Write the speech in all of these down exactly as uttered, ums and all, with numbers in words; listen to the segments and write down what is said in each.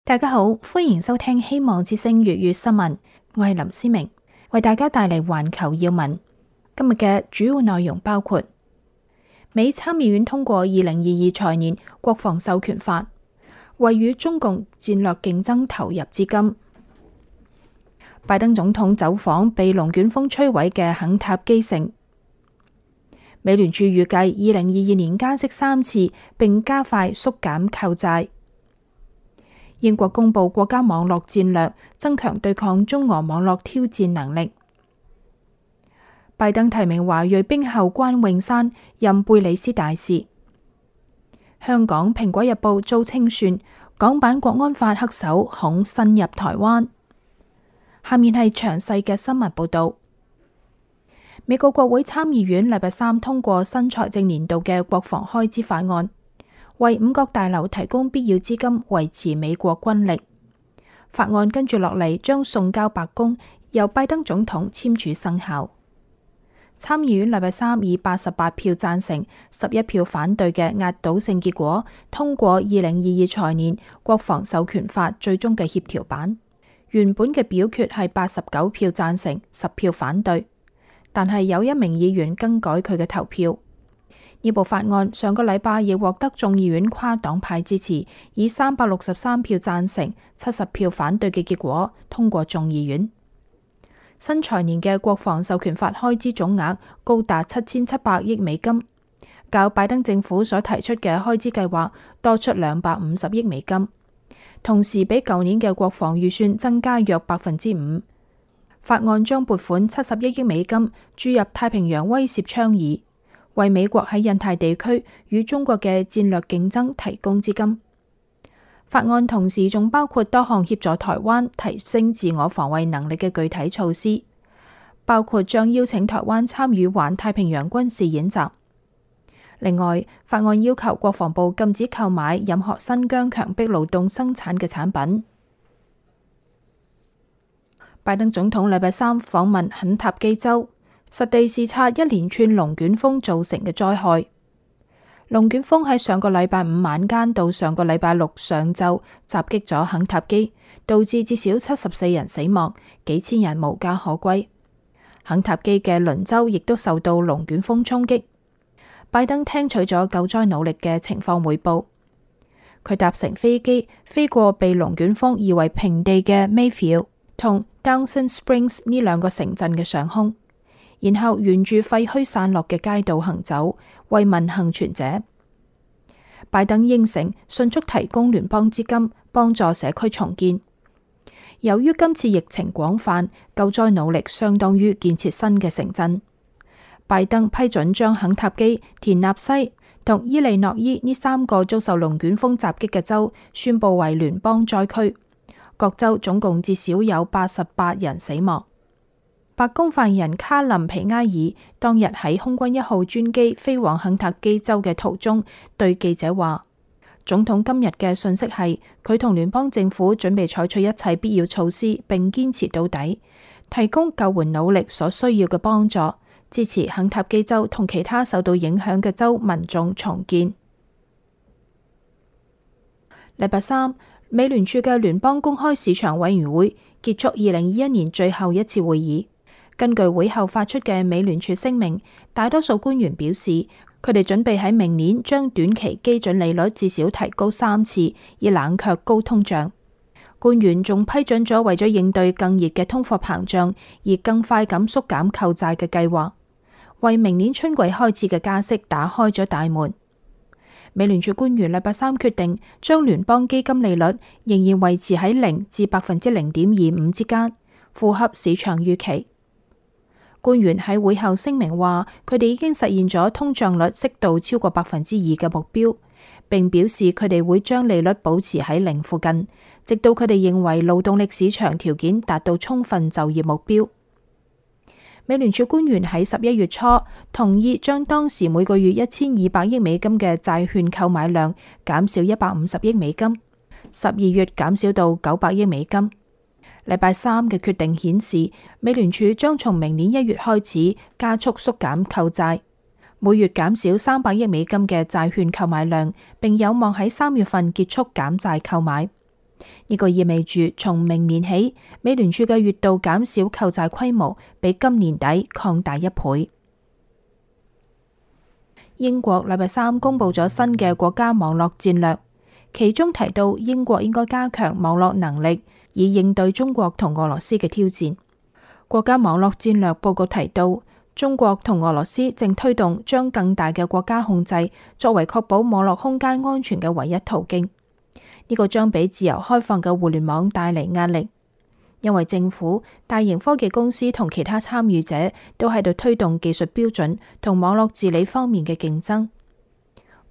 大家好，歡迎收聽希望之聲粵語新聞，我係林思明，為大家帶嚟環球要聞。今日嘅主要內容包括：美參議院通過二零二二財年國防授權法，為與中共戰略競爭投入資金；拜登總統走訪被龍捲風摧毀嘅肯塔基城；美聯儲預計二零二二年加息三次，並加快縮減購債。英國公布國家網絡戰略，增強對抗中俄網絡挑戰能力。拜登提名華裔兵后關詠珊任貝里斯大使。香港蘋果日報遭清算，港版國安法黑手恐伸入台灣。下面係詳細嘅新聞報道。美國國會參議院禮拜三通過新財政年度嘅國防開支法案，為五角大樓提供必要資金，維持美國軍力。法案跟住落嚟將送交白宮，由拜登總統簽署生效。參議院禮拜三以八十八票贊成、十一票反對嘅壓倒性結果，通過二零二二財年國防授權法最終嘅協調版。原本嘅表決係八十九票贊成、十票反對，但係有一名議員更改佢嘅投票。呢部法案上個禮拜亦獲得眾議院跨黨派支持，以三百六十三票贊成、七十票反對嘅結果通過眾議院。新財年嘅國防授權法開支總額高達七千七百億美金，較拜登政府所提出嘅開支計劃多出兩百五十億美金，同時比舊年嘅國防預算增加約百分之五。法案將撥款七十一億美金注入太平洋威懾倡議，為美國喺印太地區與中國嘅戰略競爭提供資金。法案同時仲包括多項協助台灣提升自我防衛能力嘅具體措施，包括將邀請台灣參與環太平洋軍事演習。另外，法案要求國防部禁止購買任何新疆強迫勞動生產嘅產品。拜登總統禮拜三訪問肯塔基州，實地視察一連串龍捲風造成嘅災害。龍捲風喺上個禮拜五晚間到上個禮拜六上晝襲擊咗肯塔基，導致至少七十四人死亡，幾千人無家可歸。肯塔基嘅鄰州亦都受到龍捲風衝擊。拜登聽取咗救災努力嘅情況匯報。佢搭乘飛機飛過被龍捲風夷為平地嘅 Mayfield 同 Dawson Springs 呢兩個城鎮嘅上空，然後沿住廢墟散落嘅街道行走，慰問幸存者。拜登應承迅速提供聯邦資金，幫助社區重建。由於今次疫情廣泛，救災努力相當於建設新嘅城鎮。拜登批准將肯塔基、田納西同伊利諾伊呢三個遭受龍捲風襲擊嘅州宣布為聯邦災區，各州總共至少有八十八人死亡。白宮發言人卡林皮埃爾當日喺空軍一號專機飛往肯塔基州嘅途中，對記者話：總統今日嘅訊息係佢同聯邦政府準備採取一切必要措施，並堅持到底，提供救援努力所需要嘅幫助，支持肯塔基州同其他受到影響嘅州民眾重建。禮拜三，美聯儲嘅聯邦公開市場委員會結束二零二一年最後一次會議。根據會後發出嘅美聯儲聲明，大多數官員表示，佢哋準備喺明年將短期基準利率至少提高三次，以冷卻高通脹。官員仲批准咗為咗應對更熱嘅通貨膨脹而更快咁縮減購債嘅計劃，為明年春季開始嘅加息打開咗大門。美聯儲官員禮拜三決定將聯邦基金利率仍然維持喺零至百分之零點二五之間，符合市場預期。官員喺會後聲明話，佢哋已經實現咗通脹率適度超過百分之二嘅目標，並表示佢哋會將利率保持喺零附近，直到佢哋認為勞動力市場條件達到充分就業目標。美聯儲官員喺十一月初同意將當時每個月一千二百億美金嘅債券購買量減少一百五十億美金，十二月減少到九百億美金。禮拜三嘅決定顯示，美聯儲將從明年一月開始加速縮減購債，每月減少三百億美金嘅債券購買量，並有望喺三月份結束減債購買。呢個意味住從明年起，美聯儲嘅月度減少購債規模比今年底擴大一倍。英國禮拜三公布咗新嘅國家網絡戰略，其中提到英國應該加強網絡能力，以應對中國同俄羅斯嘅挑戰。國家網絡戰略報告提到，中國同俄羅斯正推動將更大嘅國家控制作為確保網絡空間安全嘅唯一途徑。呢個將俾自由開放嘅互聯網帶嚟壓力，因為政府、大型科技公司同其他參與者都喺度推動技術標準同網絡治理方面嘅競爭。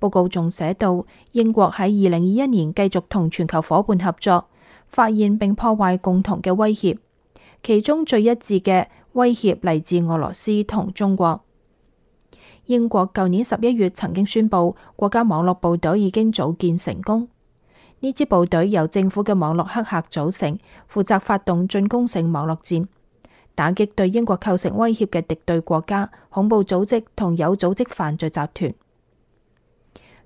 報告仲寫到，英國喺二零二一年繼續同全球夥伴合作，發現並破壞共同嘅威脅，其中最一致嘅威脅嚟自俄羅斯同中國。英國舊年十一月曾經宣布，國家網絡部隊已經組建成功。呢支部隊由政府嘅網絡黑客組成，負責發動進攻性網絡戰，打擊對英國構成威脅嘅敵對國家、恐怖組織同有組織犯罪集團。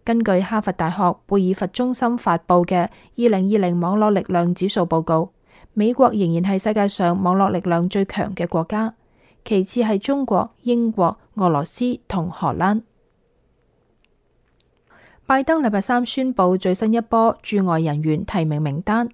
根據哈佛大學貝爾佛中心發布嘅二零二零網絡力量指數報告，美國仍然係世界上網絡力量最強嘅國家，其次係中國、英國、俄羅斯同荷蘭。拜登禮拜三宣布最新一波駐外人員提名名單，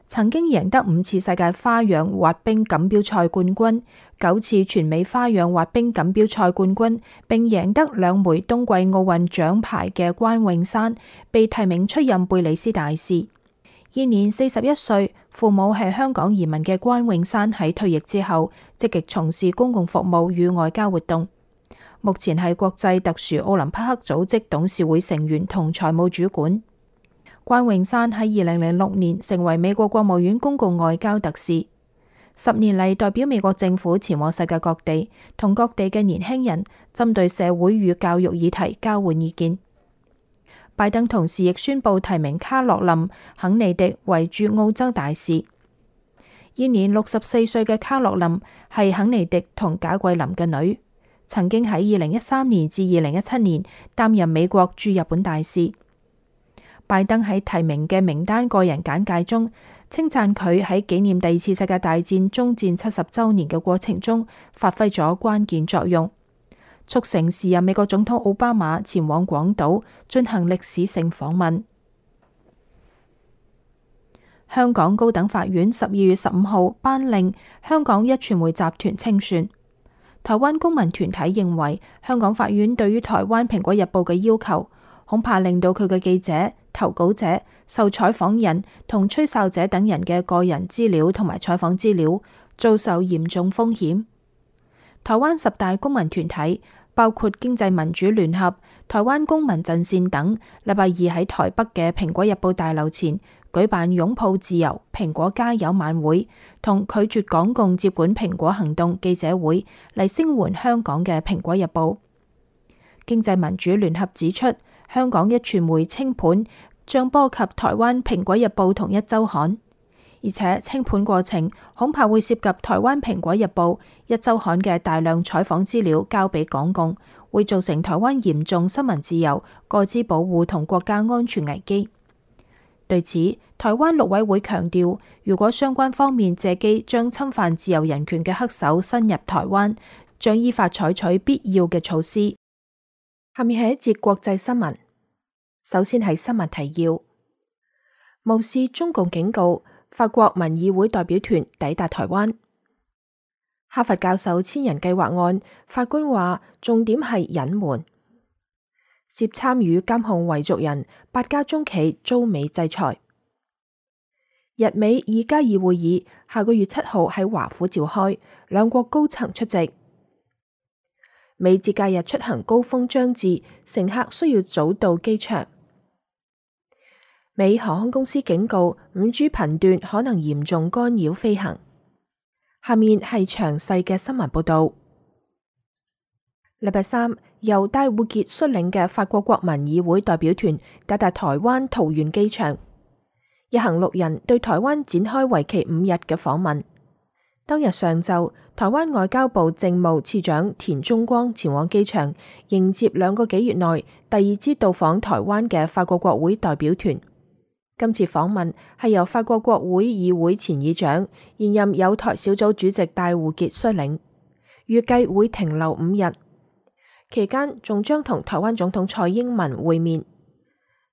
曾經贏得五次世界花樣滑冰錦標賽冠軍、九次全美花樣滑冰錦標賽冠軍，並贏得兩枚冬季奧運獎牌嘅關詠珊，被提名出任貝里斯大使。現年四十一歲，父母係香港移民嘅關詠珊喺退役之後，積極從事公共服務與外交活動。目前係國際特殊奧林匹克組織董事會成員同財務主管。關詠珊喺二零零六年成為美國國務院公共外交特使，十年嚟代表美國政府前往世界各地，同各地嘅年輕人針對社會與教育議題交換意見。拜登同時亦宣布提名卡洛琳·肯尼迪為駐澳洲大使。現年六十四歲嘅卡洛琳係肯尼迪同賈桂琳嘅女，曾經喺二零一三年至二零一七年擔任美國駐日本大使。拜登喺提名嘅名單個人簡介中，稱讚佢喺紀念第二次世界大戰終戰七十週年嘅過程中發揮咗關鍵作用，促成時任美國總統奧巴馬前往廣島進行歷史性訪問。香港高等法院十二月十五號頒令香港壹傳媒集團清算。台灣公民團體認為，香港法院對於台灣蘋果日報嘅要求，恐怕令到佢嘅記者、投稿者、受採訪人同吹哨者等人嘅個人資料同埋採訪資料遭受嚴重風險。台灣十大公民團體包括經濟民主聯合、台灣公民陣線等，禮拜二喺台北嘅蘋果日報大樓前舉辦擁抱自由、蘋果加油晚會同拒絕港共接管蘋果行動記者會，嚟聲援香港嘅蘋果日報。經濟民主聯合指出，香港壹傳媒清盤將波及台灣蘋果日報同壹週刊，而且清盤過程恐怕會涉及台灣蘋果日報、壹週刊嘅大量採訪資料交俾港共，會造成台灣嚴重新聞自由、個資保護同國家安全危機。對此，台灣陸委會強調，如果相關方面借機將侵犯自由人權嘅黑手伸入台灣，將依法採取必要嘅措施。下面係一節國際新聞。首先係新聞提要：無視中共警告，法國民議會代表團抵達台灣。哈佛教授千人計劃案，法官話重點係隱瞞。涉參與監控維族人八家中企遭美制裁。日美二加二會議下個月七號喺華府召開，兩國高層出席。美節假日出行高峰將至，乘客需要早到機場。美航空公司警告五 G 頻段可能嚴重干擾飛行。下面係詳細嘅新聞報道。禮拜三，由戴護傑率領嘅法國國民議會代表團抵達台灣桃園機場，一行六人對台灣展開為期五日嘅訪問。當日上晝，台灣外交部政務次長田中光前往機場迎接兩個幾月內第二支到訪台灣嘅法國國會代表團。今次訪問係由法國國會議會前議長、現任友台小組主席戴護傑率領，預計會停留五日，期間仲將同台灣總統蔡英文會面。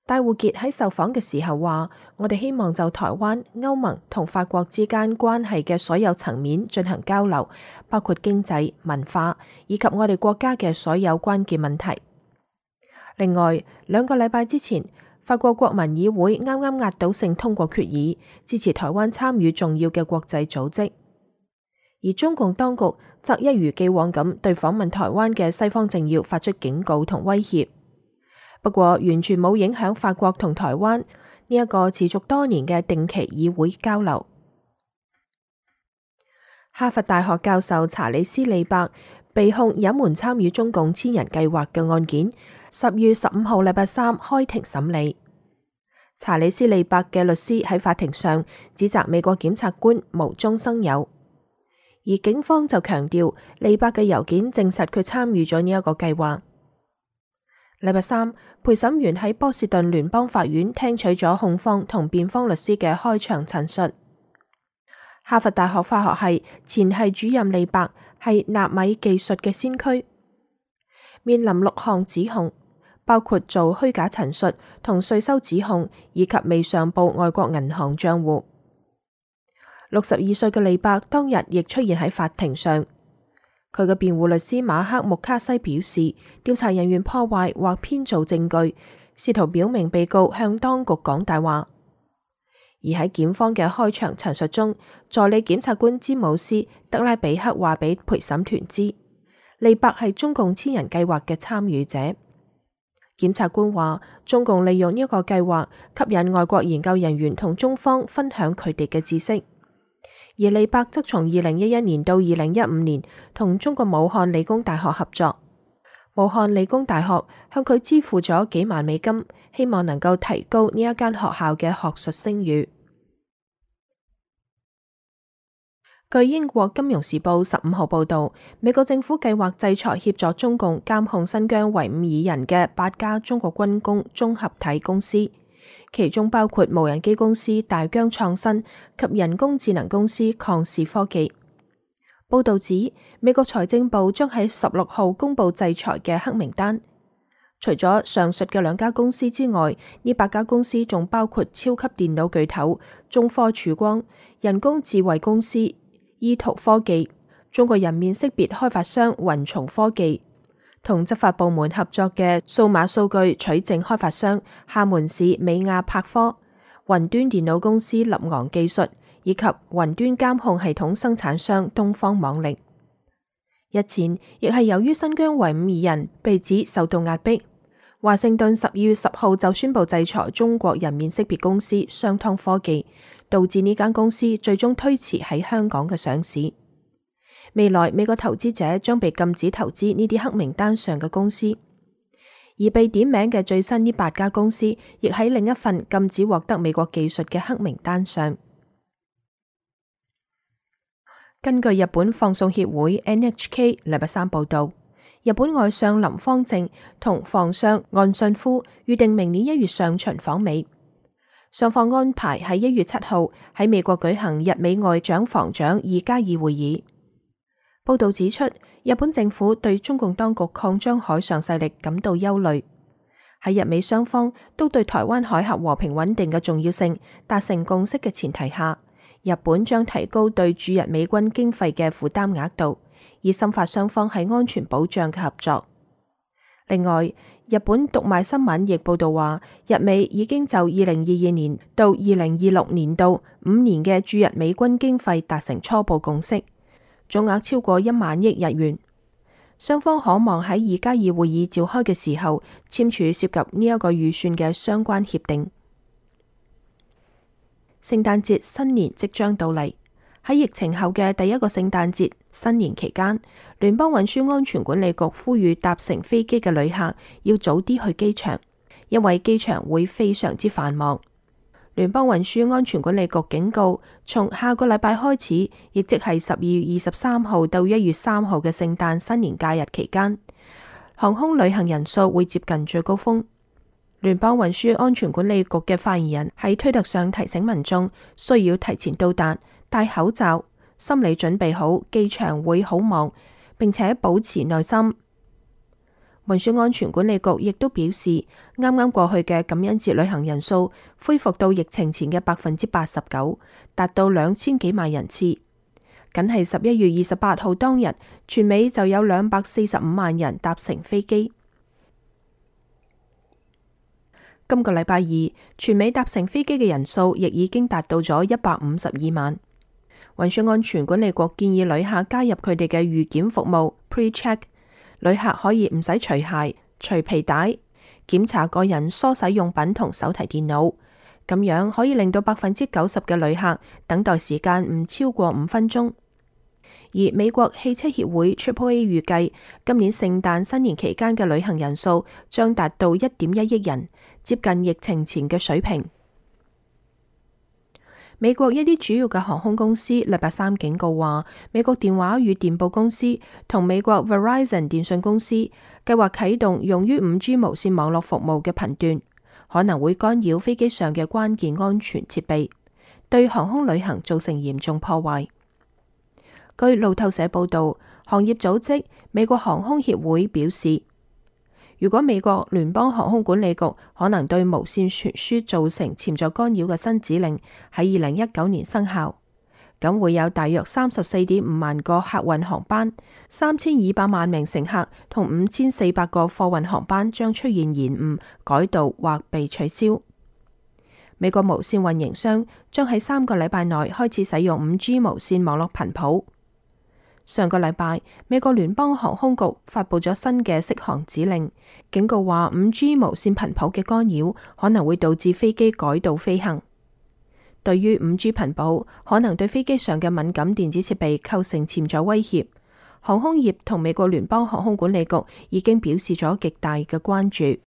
戴護傑喺受訪嘅時候話：我哋希望就台灣、歐盟同法國之間關係嘅所有層面進行交流，包括經濟、文化以及我哋國家嘅所有關鍵問題。另外，兩個禮拜之前，法國國民議會啱啱壓倒性通過決議，支持台灣參與重要嘅國際組織。而中共當局則一如既往咁對訪問台灣嘅西方政要發出警告同威脅。不過，完全冇影響法國同台灣呢一個持續多年嘅定期議會交流。哈佛大學教授查理斯利伯被控隱瞞參與中共千人計劃嘅案件，十月十五號禮拜三開庭審理。查理斯利伯嘅律師喺法庭上指責美國檢察官無中生有，而警方就強調利伯嘅郵件證實佢參與咗呢一個計劃。禮拜三，陪審員喺波士頓聯邦法院聽取咗控方同辯方律師嘅開場陳述。哈佛大學化學系前系主任利伯係納米技術嘅先驅，面臨六項指控，包括做虛假陳述同稅收指控，以及未上報外國銀行賬戶。六十二歲嘅利伯當日亦出現喺法庭上。佢嘅辯護律師馬克穆卡西表示，調查人員破壞或編造證據，試圖表明被告向當局講大話。而喺檢方嘅開場陳述中，助理檢察官詹姆斯德拉比克話俾陪審團知，利伯係中共千人計劃嘅參與者。檢察官話，中共利用呢一個計劃吸引外國研究人員同中方分享佢哋嘅知識。而利伯則從二零一一年到二零一五年同中國武漢理工大學合作，武漢理工大學向佢支付咗幾萬美金，希望能夠提高呢一間學校嘅學術聲譽。據英國金融時報十五號報道，美國政府計劃制裁協助中共監控新疆維吾爾人嘅八家中國軍工綜合體公司，其中包括無人機公司大疆創新及人工智能公司曠視科技。報道指，美國財政部將喺十六號公布制裁嘅黑名單。除咗上述嘅兩家公司之外，呢八家公司仲包括超級電腦巨頭中科曙光、人工智慧公司依圖科技、中國人面識別開發商雲從科技，同執法部門合作嘅數碼數據取證開發商廈門市美亞柏科、雲端電腦公司立昂技術以及雲端監控系統生產商東方網力。日前亦係由於新疆維吾爾人被指受到壓迫，華盛頓十二月十號就宣布制裁中國人面識別公司商湯科技，導致呢間公司最終推遲喺香港嘅上市。未來美國投資者將被禁止投資呢啲黑名單上嘅公司，而被點名嘅最新呢八家公司亦喺另一份禁止獲得美國技術嘅黑名單上。根據日本放送協會 N H K 禮拜三報道，日本外相林芳正同防相岸信夫預定明年一月上旬訪美。雙方安排喺一月七號喺美國舉行日美外長防長二加二會議。報道指出，日本政府對中共當局擴張海上勢力感到憂慮。喺日美雙方都對台灣海峽和平穩定嘅重要性達成共識嘅前提下，日本將提高對駐日美軍經費嘅負擔額度，以深化雙方喺安全保障嘅合作。另外，日本讀賣新聞亦報道話，日美已經就二零二二年到二零二六年度五年嘅駐日美軍經費達成初步共識，總額超過一萬億日元。雙方可望喺二加二會議召開嘅時候簽署涉及呢一個預算嘅相關協定。聖誕節新年即將到嚟，喺疫情後嘅第一個聖誕節新年期間，聯邦運輸安全管理局呼籲搭乘飛機嘅旅客要早啲去機場，因為機場會非常之繁忙。聯邦運輸安全管理局警告，從下個禮拜開始，亦即係十二月二十三號到一月三號嘅聖誕新年假日期間，航空旅行人數會接近最高峰。聯邦運輸安全管理局嘅發言人喺推特上提醒民眾需要提前到達、戴口罩、心理準備好機場會好忙，並且保持耐心。運輸安全管理局亦都表示，啱啱過去嘅感恩節旅行人數恢復到疫情前嘅百分之八十九，達到兩千幾萬人次。僅係十一月二十八號當日，全美就有兩百四十五萬人搭乘飛機。今個禮拜二，全美搭乘飛機嘅人數亦已經達到咗一百五十二萬。運輸安全管理局建議旅客加入佢哋嘅預檢服務 Pre-check， 旅客可以唔使除鞋、除皮帶，檢查個人梳洗用品同手提電腦，咁樣可以令到百分之九十嘅旅客等待時間唔超過五分鐘。而美國汽車協會 Triple A 預計今年聖誕新年期間嘅旅行人數將達到一點一億人，接近疫情前嘅水平。美國一啲主要嘅航空公司禮拜三警告話，美國電話與電報公司同美國 Verizon 電信公司計劃啟動用於五 G 無線網絡服務嘅頻段，可能會干擾飛機上嘅關鍵安全設備，對航空旅行造成嚴重破壞。據路透社報道，行業組織美國航空協會表示，如果美國聯邦航空管理局可能對無線傳輸造成潛在干擾嘅新指令喺二零一九年生效，咁會有大約三十四點五萬個客運航班、三千二百萬名乘客同五千四百個貨運航班將出現延誤、改道或被取消。美國無線運營商將喺三個禮拜內開始使用五 G 無線網絡頻譜。上個禮拜，美國聯邦航空局發佈咗新嘅適航指令，警告話五 G 無線頻譜嘅干擾可能會導致飛機改道飛行。對於五 G 頻譜可能對飛機上嘅敏感電子設備構成潛在威脅，航空業同美國聯邦航空管理局已經表示咗極大嘅關注。